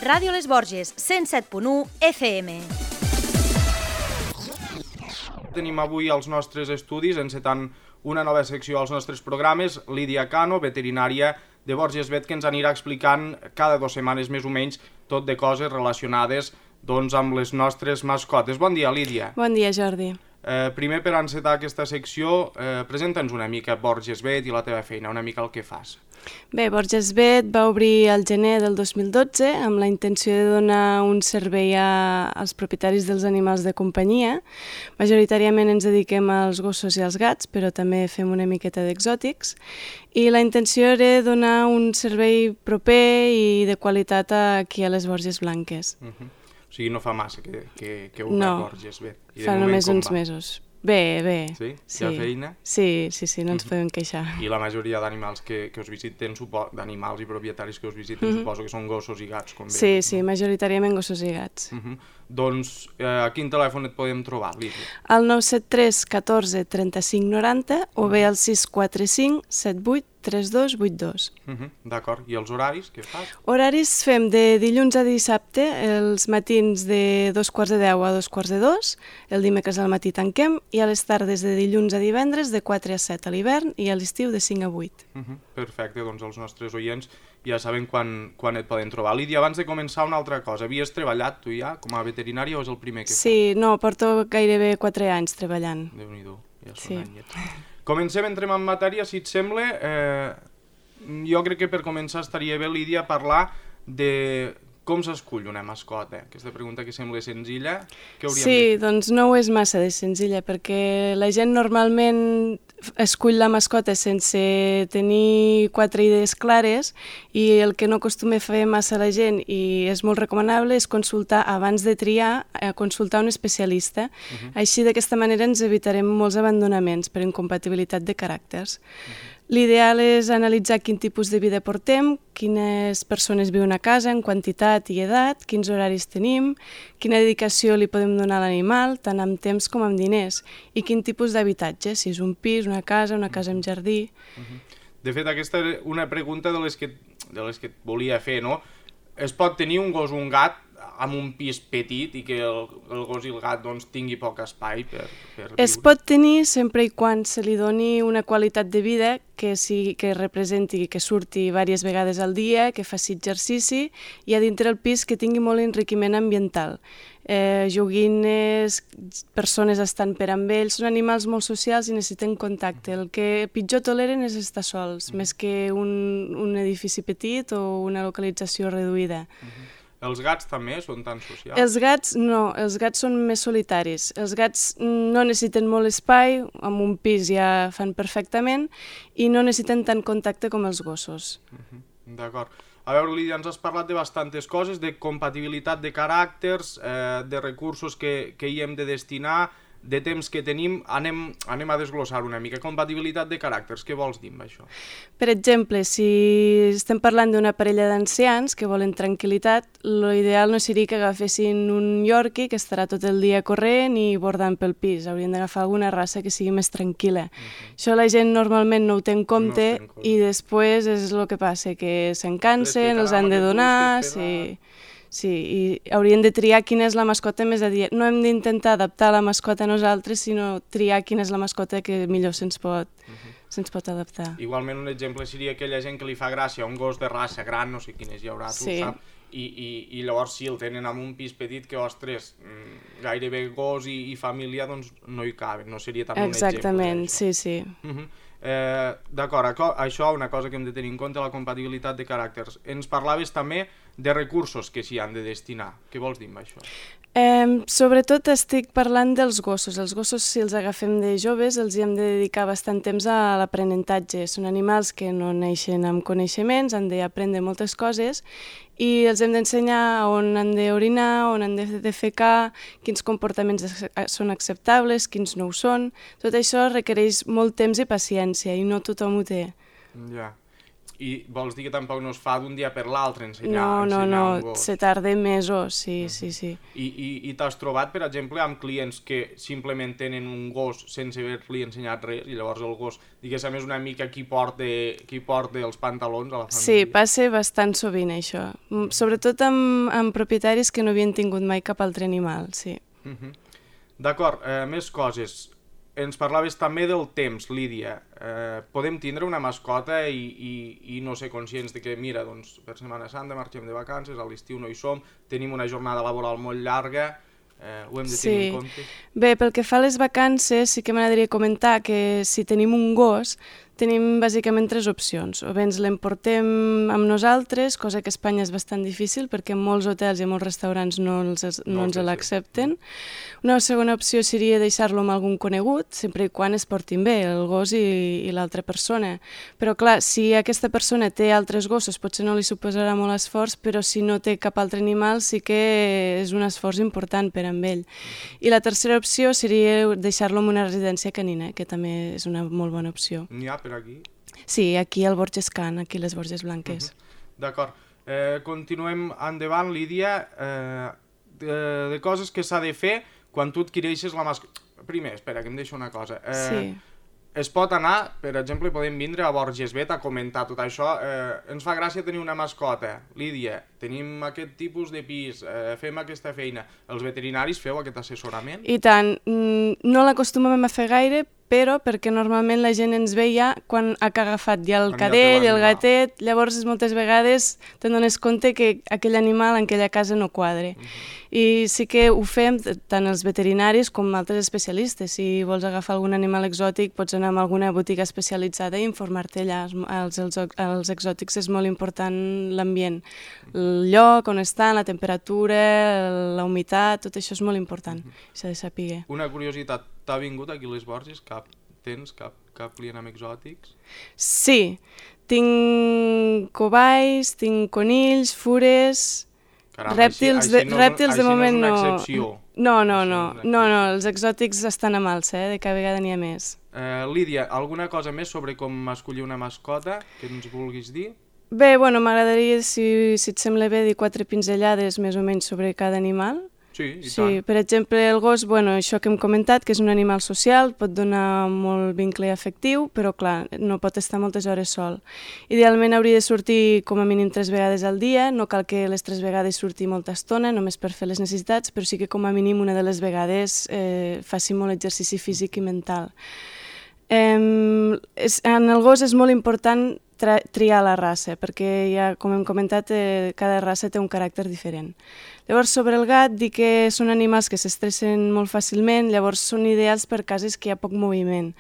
Ràdio Les Borges, 107.1 FM. Tenim avui als nostres estudis, encetant una nova secció als nostres programes, Lídia Cano, veterinària de Borges Vet, que ens anirà explicant cada 2 setmanes més o menys tot de coses relacionades amb les nostres mascotes. Bon dia, Lídia. Bon dia, Jordi. Primer, per encetar aquesta secció, presenta'ns una mica Borges Vet i la teva feina, una mica el que fas. Bé, Borges Vet va obrir al gener del 2012 amb la intenció de donar un servei als propietaris dels animals de companyia. Majoritàriament ens dediquem als gossos i als gats, però també fem una miqueta d'exòtics. I la intenció era donar un servei proper i de qualitat aquí a les Borges Blanques. O sigui, no fa massa que obra Borges Vet. No, fa només uns mesos. Bé. Sí? Hi ha feina? Sí, no ens podem queixar. I la majoria d'animals que us visiten, d'animals i propietaris que us visiten, suposo que són gossos i gats, com bé. Sí, majoritàriament gossos i gats. Doncs a quin telèfon et podem trobar, Lídia? Al 973 14 35 90 o bé al 645 78 3282. D'acord. I els horaris, què fas? Horaris fem de dilluns a dissabte, els matins de 2:15 a 2:45, el dimecres al matí tanquem, i a les tardes de dilluns a divendres de 4 a 7 a l'hivern i a l'estiu de 5 a 8. Perfecte, doncs els nostres oients ja saben quan et poden trobar. Lídia, abans de començar una altra cosa, havies treballat tu ja com a veterinària o és el primer que fas? Sí, no, porto gairebé 4 anys treballant. Déu-n'hi-do, ja són anyets. Comencem, entrem en matèria, si et sembla. Jo crec que per començar estaria bé, Lídia, parlar de com s'escull una mascota. Aquesta pregunta que sembla senzilla, què hauríem de fer? Sí, doncs no ho és massa de senzilla, perquè la gent normalment escull la mascota sense tenir 4 idees clares, i el que no acostuma a fer massa la gent, i és molt recomanable, és consultar, abans de triar, consultar un especialista. Així, d'aquesta manera, ens evitarem molts abandonaments per incompatibilitat de caràcters. L'ideal és analitzar quin tipus de vida portem, quines persones viuen a casa, en quantitat i edat, quins horaris tenim, quina dedicació li podem donar a l'animal, tant amb temps com amb diners, i quin tipus d'habitatge, si és un pis, una casa amb jardí. De fet, aquesta era una pregunta de les que et volia fer, no? Es pot tenir un gos o un gat amb un pis petit i que el gos i el gat tingui poc espai per viure? Es pot tenir sempre i quan se li doni una qualitat de vida que representi, que surti diverses vegades al dia, que faci exercici, i a dintre el pis que tingui molt enriquiment ambiental. Joguines, persones estan per amb ells, són animals molt socials i necessiten contacte. El que pitjor toleren és estar sols, més que un edifici petit o una localització reduïda. Els gats també són tan socials? Els gats no, els gats són més solitaris. Els gats no necessiten molt espai, amb un pis ja fan perfectament, i no necessiten tant contacte com els gossos. D'acord. A veure, Lídia, ens has parlat de bastantes coses, de compatibilitat de caràcters, de recursos que hi hem de destinar, de temps que tenim. Anem a desglossar una mica. Compatibilitat de caràcters, què vols dir amb això? Per exemple, si estem parlant d'una parella d'ancians que volen tranquil·litat, l'ideal no seria que agafessin un Yorkie que estarà tot el dia corrent i bordant pel pis. Haurien d'agafar alguna raça que sigui més tranquil·la. Això la gent normalment no ho té en compte, i després és el que passa, que se'n cansen, els han de donar... Sí, i haurien de triar quina és la mascota més adient. No hem d'intentar adaptar la mascota a nosaltres, sinó triar quina és la mascota que millor se'ns pot adaptar. Igualment, un exemple seria aquella gent que li fa gràcia un gos de raça gran, no sé quines hi haurà, tu ho saps, i llavors si el tenen en un pis petit que, ostres, gairebé gos i família doncs no hi caben, no seria també un exemple. Exactament, sí. D'acord, això una cosa que hem de tenir en compte, la compatibilitat de caràcters. Ens parlaves també de recursos que s'hi han de destinar. Què vols dir amb això? Sobretot estic parlant dels gossos. Els gossos, si els agafem de joves, els hi hem de dedicar bastant temps a l'aprenentatge. Són animals que no neixen amb coneixements, han d'aprendre moltes coses, i els hem d'ensenyar on han d'orinar, on han de defecar, quins comportaments són acceptables, quins no ho són. Tot això requereix molt temps i paciència, i no tothom ho té. Ja. I vols dir que tampoc no es fa d'un dia per l'altre ensenyar un gos? Se tarda mesos, sí. I t'has trobat, per exemple, amb clients que simplement tenen un gos sense haver-li ensenyat res i llavors el gos, diguéssim, és una mica qui porta els pantalons a la família? Sí, passa bastant sovint això, sobretot amb propietaris que no havien tingut mai cap altre animal, sí. D'acord, més coses. Ens parlaves també del temps, Lídia. Podem tindre una mascota i no ser conscients de que, mira, doncs, per Setmana Santa marxem de vacances, a l'estiu no hi som, tenim una jornada laboral molt llarga, ho hem de tenir en compte? Bé, pel que fa a les vacances, sí que m'agradaria comentar que si tenim un gos, tenim bàsicament 3 opcions. O bé ens l'emportem amb nosaltres, cosa que a Espanya és bastant difícil perquè en molts hotels i en molts restaurants no ens l'accepten. Una segona opció seria deixar-lo amb algun conegut, sempre i quan es portin bé, el gos i l'altra persona. Però clar, si aquesta persona té altres gossos, potser no li suposarà molt esforç, però si no té cap altre animal sí que és un esforç important per amb ell. I la tercera opció seria deixar-lo en una residència canina, que també és una molt bona opció. N'hi ha per aquí? Sí, aquí al Borges Can, aquí a les Borges Blanques. D'acord. Continuem endavant, Lídia, de coses que s'ha de fer quan tu adquireixes la mascota. Primer, espera, que em deixo una cosa. Sí. Es pot anar, per exemple, podem vindre a Borges Vet a comentar tot això. Ens fa gràcia tenir una mascota. Lídia, tenim aquest tipus de pis, fem aquesta feina. Els veterinaris feu aquest assessorament? I tant. No l'acostumem a fer gaire, però perquè normalment la gent ens ve ja quan ha agafat ja el cadell, el gatet, llavors moltes vegades te'n dones compte que aquell animal en aquella casa no quadre. I sí que ho fem tant els veterinaris com altres especialistes. Si vols agafar algun animal exòtic pots anar a alguna botiga especialitzada i informar-te allà. Els exòtics és molt important l'ambient, el lloc on estan, la temperatura, la humitat, tot això és molt important, s'ha de saber. Una curiositat, t'ha vingut aquí a les Borges? Tens cap client amb exòtics? Sí, tinc covalls, tinc conills, fures... Caram, rèptils de moment no. Així no és una excepció. No, els exòtics estan a malsa, de cada vegada n'hi ha més. Lídia, alguna cosa més sobre com escollir una mascota que ens vulguis dir? Bé, m'agradaria, si et sembla bé, dir 4 pinzellades més o menys sobre cada animal. Sí, i tant. Per exemple, el gos, això que hem comentat, que és un animal social, pot donar molt vincle afectiu, però clar, no pot estar moltes hores sol. Idealment hauria de sortir com a mínim 3 vegades al dia, no cal que les 3 vegades surti molta estona, només per fer les necessitats, però sí que com a mínim una de les vegades faci molt exercici físic i mental. En el gos és molt important triar la raça, perquè ja, com hem comentat, cada raça té un caràcter diferent. Llavors, sobre el gat, dir que són animals que s'estressen molt fàcilment, llavors són ideals per cases que hi ha poc moviment.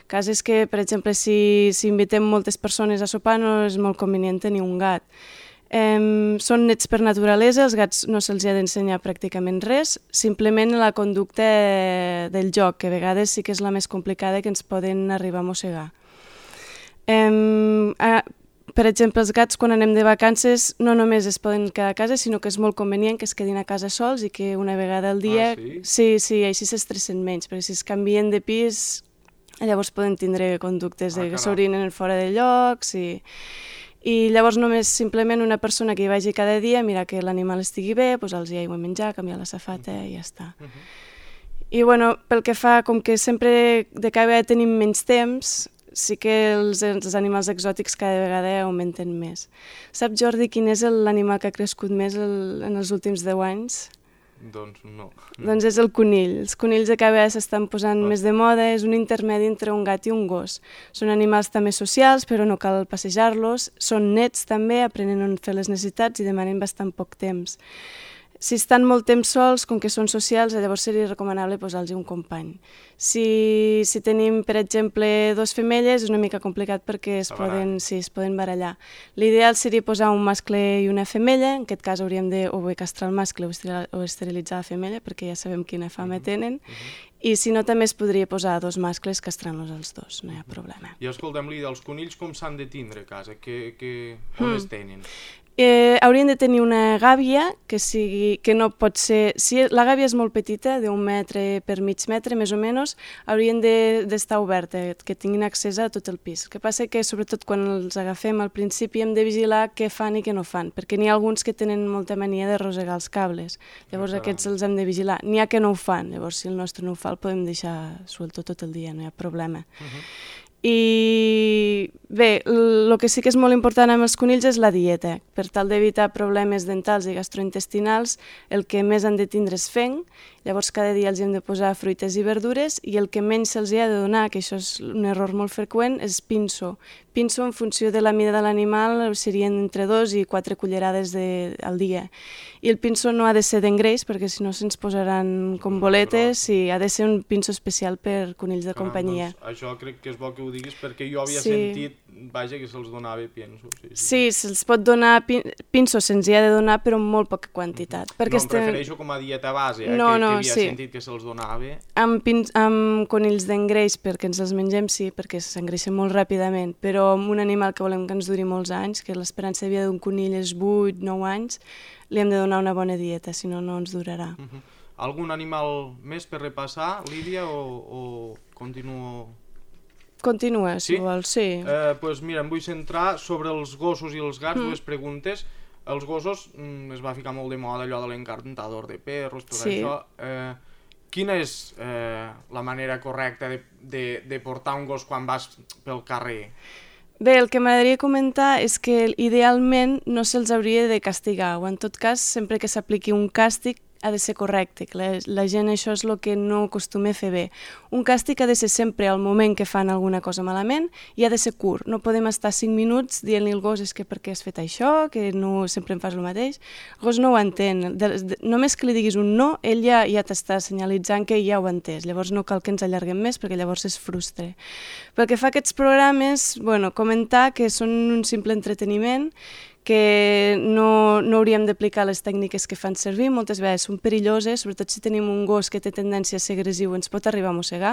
Cases que, per exemple, si invitem moltes persones a sopar no és molt convenient tenir un gat. Són nets per naturalesa, els gats no se'ls ha d'ensenyar pràcticament res, simplement la conducta del joc, que a vegades sí que és la més complicada, que ens poden arribar a mossegar. Per exemple, els gats quan anem de vacances no només es poden quedar a casa, sinó que és molt convenient que es quedin a casa sols i que una vegada al dia... Sí, així s'estressen menys, perquè si es canvien de pis llavors poden tindre conductes que s'orinen fora de llocs i llavors només simplement una persona que hi vagi cada dia, mirar que l'animal estigui bé, posar-los aigua a menjar, canviar la safata i ja està. I pel que fa, com que sempre de cada vegada tenim menys temps, sí que els animals exòtics cada vegada augmenten més. Saps, Jordi, quin és l'animal que ha crescut més en els últims 10 anys? Doncs no. Doncs és el conill. Els conills de cada vegada s'estan posant més de moda, és un intermedi entre un gat i un gos. Són animals també socials, però no cal passejar-los. Són nets també, aprenen a fer les necessitats i demanen bastant poc temps. Si estan molt temps sols, com que són socials, llavors seria recomanable posar-los un company. Si tenim, per exemple, 2 femelles, és una mica complicat perquè es poden barallar. L'ideal seria posar un mascle i una femella, en aquest cas hauríem de o bé castrar el mascle o esterilitzar la femella, perquè ja sabem quina fama tenen, i si no també es podria posar 2 mascles castrant-los els 2, no hi ha problema. I escolta'm, Lídia, els conills com s'han de tindre a casa? On es tenen? Haurien de tenir una gàbia que no pot ser... Si la gàbia és molt petita, d'1 metre per mig metre, més o menys, haurien d'estar oberta, que tinguin accés a tot el pis. El que passa que, sobretot quan els agafem al principi, hem de vigilar què fan i què no fan, perquè n'hi ha alguns que tenen molta mania de rosegar els cables. Llavors aquests els hem de vigilar. N'hi ha que no ho fan, llavors si el nostre no ho fa el podem deixar suelto tot el dia, no hi ha problema. I bé, el que sí que és molt important amb els conills és la dieta. Per tal d'evitar problemes dentals i gastrointestinals, el que més han de tindre és fenc, llavors cada dia els hem de posar fruites i verdures, i el que menys se'ls ha de donar, que això és un error molt freqüent, és pinso. Pinso en funció de la mida de l'animal serien entre 2 i 4 cullerades al dia. I el pinso no ha de ser d'engreix, perquè si no se'ns posaran com boletes, i ha de ser un pinso especial per conills de companyia. Doncs això crec que és bo que ho diguis, perquè jo havia sentit, vaja, que se'ls donava pinso. Sí, se'ls pot donar pinso, se'ns hi ha de donar, però en molt poca quantitat. No em refereixo com a dieta base, que havia sentit que se'ls donava. Amb conills d'engreix, perquè ens els mengem, sí, perquè s'engreixen molt ràpidament, però amb un animal que volem que ens duri molts anys, que l'esperança de vida d'un conill és 8-9 anys, li hem de donar una bona dieta, si no, no ens durarà. Algun animal més per repassar, Lídia, o continuo? Continua, si vols, sí. Doncs mira, em vull centrar sobre els gossos i els gats, dues preguntes. Els gossos es va ficar molt de moda allò de l'encantador de perros, tot això. Quina és la manera correcta de portar un gos quan vas pel carrer? Bé, el que m'agradaria comentar és que idealment no se'ls hauria de castigar, o en tot cas, sempre que s'apliqui un càstig, ha de ser correcte, que la gent això és el que no acostuma a fer bé. Un càstig ha de ser sempre al moment que fan alguna cosa malament i ha de ser curt. No podem estar 5 minuts dient-li al gos és que per què has fet això, que no sempre em fas el mateix. El gos no ho entén. Només que li diguis un no, ell ja t'està senyalitzant que ja ho ha entès. Llavors no cal que ens allarguem més perquè llavors es frustra. Pel que fa a aquests programes, comentar que són un simple entreteniment, que no hauríem d'aplicar les tècniques que fan servir, moltes vegades són perilloses, sobretot si tenim un gos que té tendència a ser agressiu, ens pot arribar a mossegar.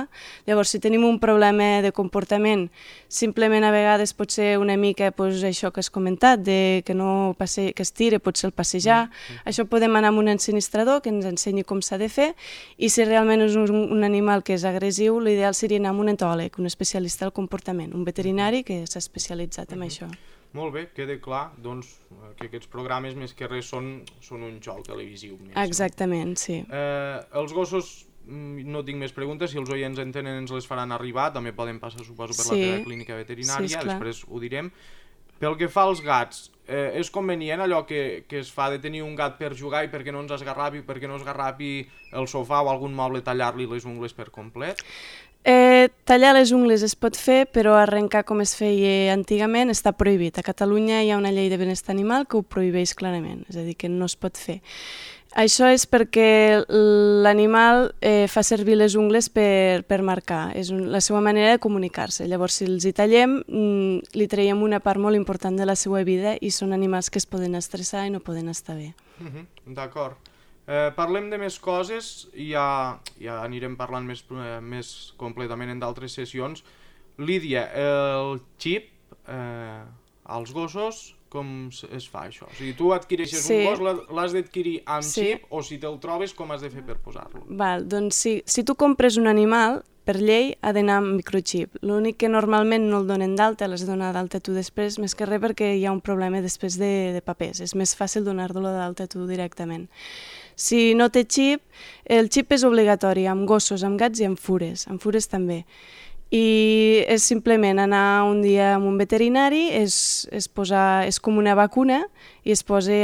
Llavors, si tenim un problema de comportament, simplement a vegades pot ser una mica això que has comentat, que es tira, pot ser el passejar. Això podem anar amb un ensinistrador que ens ensenyi com s'ha de fer, i si realment és un animal que és agressiu, l'ideal seria anar amb un etòleg, un especialista del comportament, un veterinari que s'ha especialitzat en això. Molt bé, queda clar que aquests programes més que res són un xou televisiu. Exactament, sí. Els gossos, no tinc més preguntes, si els oients en tenen ens les faran arribar, també poden passar, suposo, per la teva clínica veterinària, després ho direm. Pel que fa als gats, és convenient allò que es fa de tenir un gat per jugar i perquè no ens esgarrapi, perquè no esgarrapi el sofà o algun moble, tallar-li les ungles per complet? Tallar les ungles es pot fer, però arrencar com es feia antigament està prohibit. A Catalunya hi ha una llei de benestar animal que ho prohibeix clarament, és a dir, que no es pot fer. Això és perquè l'animal fa servir les ungles per marcar, és la seva manera de comunicar-se. Llavors, si els hi tallem, li traiem una part molt important de la seva vida i són animals que es poden estressar i no poden estar bé. D'acord. Parlem de més coses i ja anirem parlant més completament en d'altres sessions. Lídia, el xip als gossos, com es fa això? O sigui, tu adquireixes un gos, l'has d'adquirir amb xip, o si te'l trobes, com has de fer per posar-lo? Doncs si tu compres un animal, per llei ha d'anar amb microxip. L'únic que normalment no el donen d'alta, l'has de donar d'alta tu després, més que res perquè hi ha un problema després de papers. És més fàcil donar-lo d'alta tu directament. Si no té xip, el xip és obligatori amb gossos, amb gats i amb fures també. I és simplement anar un dia amb un veterinari, és com una vacuna i es posa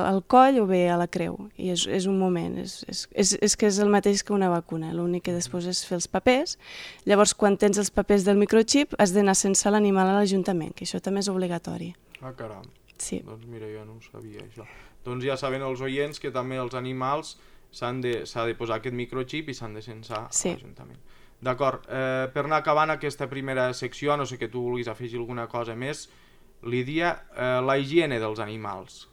al coll o bé a la creu. I és un moment, és que és el mateix que una vacuna, l'únic que després és fer els papers. Llavors, quan tens els papers del microxip, has d'anar sense l'animal a l'Ajuntament, que això també és obligatori. Ah, caram. Sí. Doncs mira, jo no ho sabia, això. Doncs ja saben els oients que també els animals s'ha de posar aquest microxip i s'han de censar a l'Ajuntament. D'acord, per anar acabant aquesta primera secció, no sé que tu vulguis afegir alguna cosa més, Lídia, la higiene dels animals.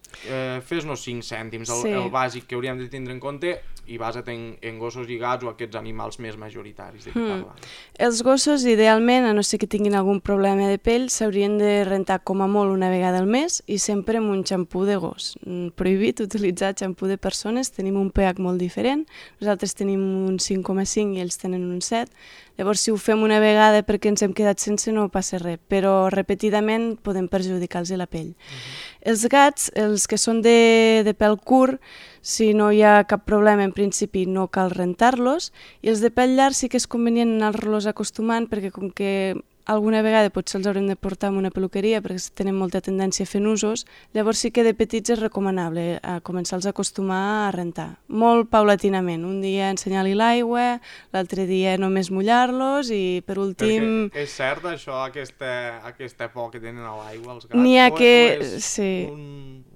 fes-nos 5 cèntims, Sí. el bàsic que hauríem de tindre en compte, i basa't en gossos i gats o aquests animals més majoritaris de què parlem. Els gossos, idealment, a no ser que tinguin algun problema de pell, s'haurien de rentar com a molt una vegada al mes i sempre amb un xampú de gos. Prohibit utilitzar xampú de persones, tenim un pH molt diferent, nosaltres tenim un 5,5 i ells tenen un 7, llavors si ho fem una vegada perquè ens hem quedat sense no passa res, però repetidament podem perjudicar-los la pell. Els gats, els que són de pèl curt, si no hi ha cap problema, en principi no cal rentar-los, i els de pèl llarg sí que és convenient anar-los acostumant, perquè com que alguna vegada potser els haurem de portar a una peluqueria perquè tenen molta tendència a fer nusos, llavors sí que de petits és recomanable començar-los a acostumar a rentar. Molt paulatinament, un dia ensenyar-li l'aigua, l'altre dia només mullar-los i per últim... Perquè és cert això, aquesta por que tenen a l'aigua els gats? N'hi ha que... sí.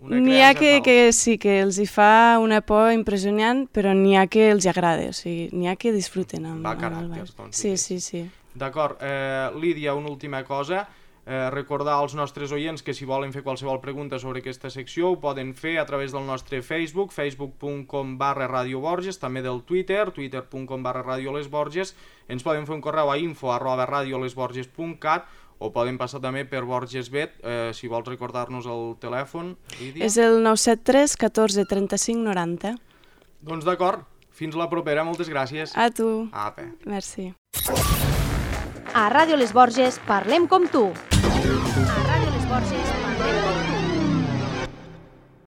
N'hi ha que sí, que els hi fa una por impressionant, però n'hi ha que els agrada, o sigui, n'hi ha que disfruten amb el caràcters, doncs. Sí. D'acord. Lídia, una última cosa. Recordar als nostres oients que si volen fer qualsevol pregunta sobre aquesta secció ho poden fer a través del nostre Facebook, facebook.com/Radio Borges, també del Twitter, twitter.com/Radio Les Borges. Ens poden fer un correu a info@radiolesborges.cat o poden passar també per Borgesvet, si vols recordar-nos el telèfon, Lídia. És el 973 14 35 90. Doncs d'acord. Fins la propera. Moltes gràcies. A tu. Apa. Merci. A Ràdio Les Borges parlem com tu. A Ràdio Les Borges